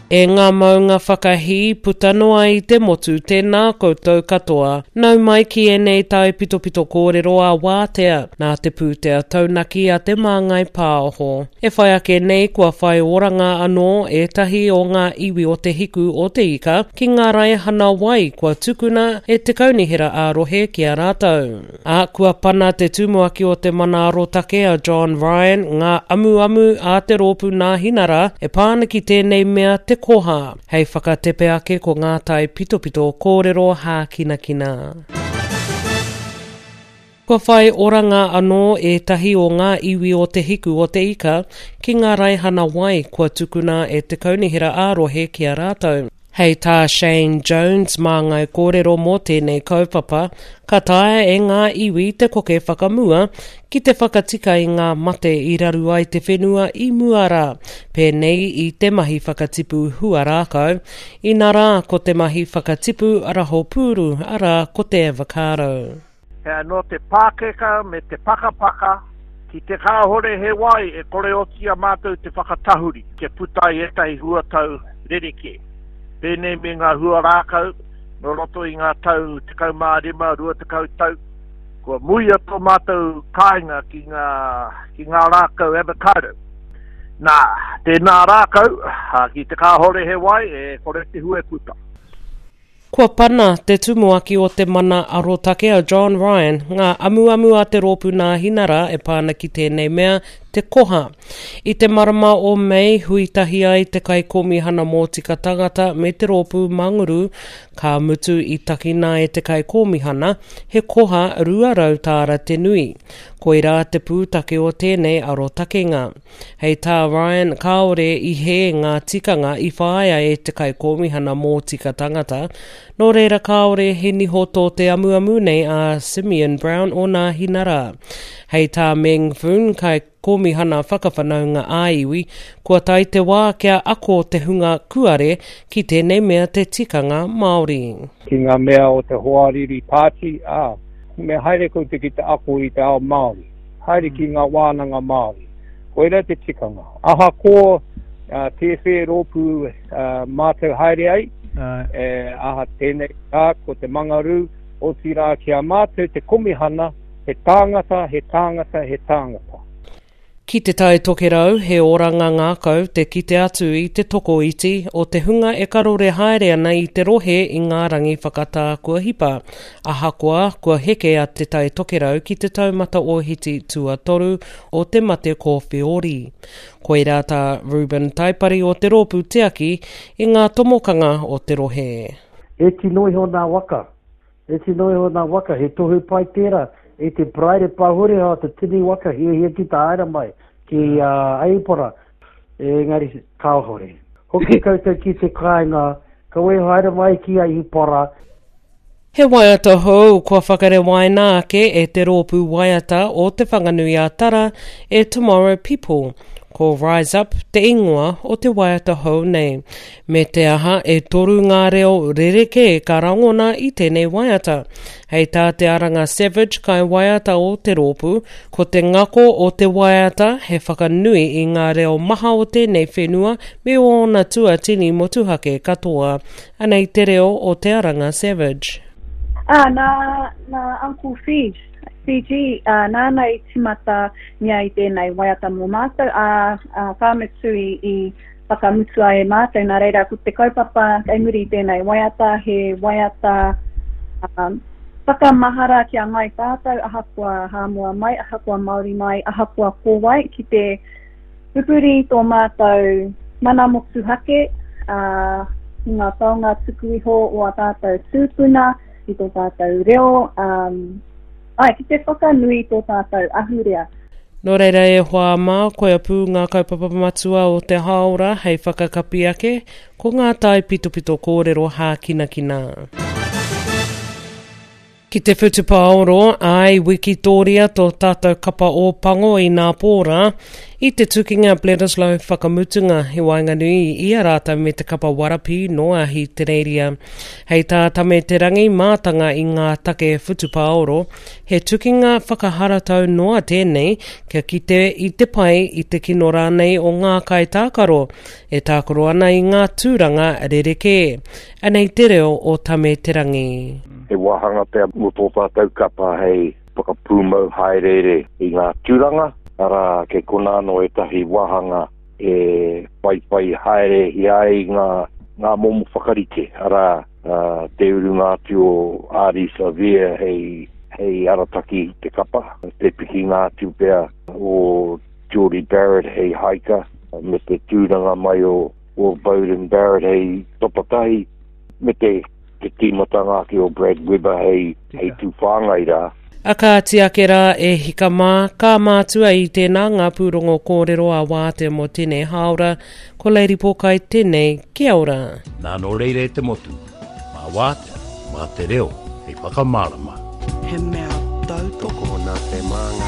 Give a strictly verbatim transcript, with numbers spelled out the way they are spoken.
E ngā maunga whakahī puta noa i te motu, tēnā koutou katoa. Nau mai ki ēnei taipitopito kōrero a Wātea, nā te pūtea taunaki a Te Māngai Pāho. E whai ake nei kua whai oranga anō ētahi o ngā iwi o Te Hiku o Te Ika ki ngā raihana wai kua tukuna e te kaunihera ā-rohe ki a rātou. Ā, kua pana te tumuaki o te Mana Arotake a John Ryan ngā amuamu a te rōpū Nāhinara e pā ana ki tēnei mea te koha. Hei whakatepe ake ko ngā taipitopito kōrero hākinakina. Kua whai oranga anō ētahi o ngā iwi o Te Hiku o Te Ika ki ngā raihana wai kua tukuna e te kaunihera ā-rohe ki a rātou. Hei tā Shane Jones māngai kōrero mō tēnei kaupapa, ka taea e ngā iwi te koke whakamua ki te whakatika i ngā mate i raru ai te whenua i mua rā, pēnei i te mahi whakatipu huarākau, inarā ko te mahi whakatipu raho pūru, arā ko te avocado. He anō te pākeka me te pakapaka, ki te kāhore he wai e kore oti i a mātou te whakatahuri kia puta ai ētahi huatau rerekē. Pēnei me ngā huarākau, nō roto i ngā tau tekau mā rima, rua tekau tau, kua muia tō mātou kāinga ki ngā, ki ngā rākau avocado. Nā, tēnā rākau, ki te kāhore he wai, e kore te hua e puta. Kua pana te tumuaki o te Mana Arotake a John Ryan ngā amuamu a te rōpū Nāhinara e pā ana ki tēnei mea, te koha. I te marama o Mei, hui tahi ai te Kaikōmihana Mōtika Tangata me te rōpū Manguru, ka mutu i takina e te Kaikōmihana he koha rua rau tāra te nui. Koirā te pūtake o tēnei arotakenga. Hei tā Ryan, kāore i hē ngā tikanga i whāia e te Kaikōmihana Mōtika Tangata, nō reira kāore he niho tō te amuamu nei a Simeon Brown o Nāhinara. Hei tā Meng Foon, Kaikōmihana Whakawhanaunga ā-Iwi, kua tae te wā kia ako te hunga kuare ki tēnei mea te tikanga Māori. Ki ngā mea o te hoariri pāti, ā, me haere koutou ki te ako i te ao Māori, haere ki ngā wānanga Māori. Koira te tikanga. Ahakoa tēwhē rōpū mātou haere ai, aha tēnei rā ko te Mangarū, otirā ki a mātou te komihana, he tāngata, he tāngata, he tāngata. Ki Te Tai Tokerau, he oranga ngākau te kite atu i te tokoiti o te hunga e karore haere ana i te rohe i ngā rangi whakatā kua hipa. Ahakoa, kua heke a Te Tai Tokerau ki te taumata ōhiti tuatoru o te mate kōwheori. Koirā tā Reuben Taipari o te rōpū tiaki i ngā tomokanga o te rohe. E tino iho nā waka. E tino iho nā waka, he tohu pai tērā. E te Paraire Pāhoreha o te tini waka hiahia ki te haere mai, ki Aipora, engari kāhore. Hoki koutou ki te kāinga, kawe haere mai ki Aipora. He waiata hou kua whakarewaina ake e te rōpū waiata o Te Whanganui-a-Tara e Tomorrow People. Ko Rise Up te ingoa o te waiata hou nei. Me te aha, e toru ngā reo rerekē ka rangona i tēnei waiata. Hei tā Te Aranga Savage kai waiata o te rōpū, ko te ngako o te waiata he whakanui i ngā reo maha o tēnei whenua me ōna tuatini motuhake katoa. Anei te reo o Te Aranga Savage. Ā, nā, nā Uncle Fij, Fiji, ā, nāna i tīmata mea i tēnei waiata mō mātou, ā, ā, ka mutu i, i whakamutua e mātou, nā reira, ko te kaupapa kei muri i tēnei waiata, he waiata um, whakamahara ki a ngai tātou, ahakoa Hāmoa mai, ahakoa Māori mai, ahakoa ko wai, ki te pupuri tō mātou mana motuhake, ā, i ngā taonga tuku iho o ā tātou tūpuna, i tō tātou reo, um, ai, ki te whakanui tō tātou ahurea. Nō reira e hoa mā, koia pū ngā kaupapa matua o te hāora hei whakakapi ake, ko ngā taipitopito kōrero hākinakina. Ki te whutupaoro, āi wikitōria tō tātou kapa Ōpango i nā pō rā, I te tukinga Bledisloe whakamutunga i waenganui i a rātou me te kapa Warapī nō Ahitereiria. Hei tā Tame Te Rangi mātanga i ngā take whutupaoro, he tukinga whakaharatau noa tēnei kia kite i te pai i te kino rānei o ngā kaitākaro e tākaro ana i ngā tūranga rerekē. Anei te reo o Tame Te Rangi. He wāhanga pea mō tō tātou kapa hei whakapūmau haereere i ngā tūranga, arā kei konā anō ētahi wāhanga e whaiwhai haerehia ai ngā, ngā momo whakarite, arā te urunga atu o Ardie Savea hei, hei arataki te kapa, te pikinga atu pea o Jordie Barrett hei haika, me te tūranga mai o, o Beauden Barrett hei topatahi, me te, te tīmatanga ake o Brad Weber hei, hei tūwhāngai rā. A kāti ake rā e hika mā, ka mātua i tēnā ngā pūrongo kōrero a Wātea mō tēnei hāora, ko Lady Pōkai tēnei, kia ora. Nā nō reira e te motu, mā Wātea, mā te reo, hei whakamārama. He mea tautoko Tokona te māngai.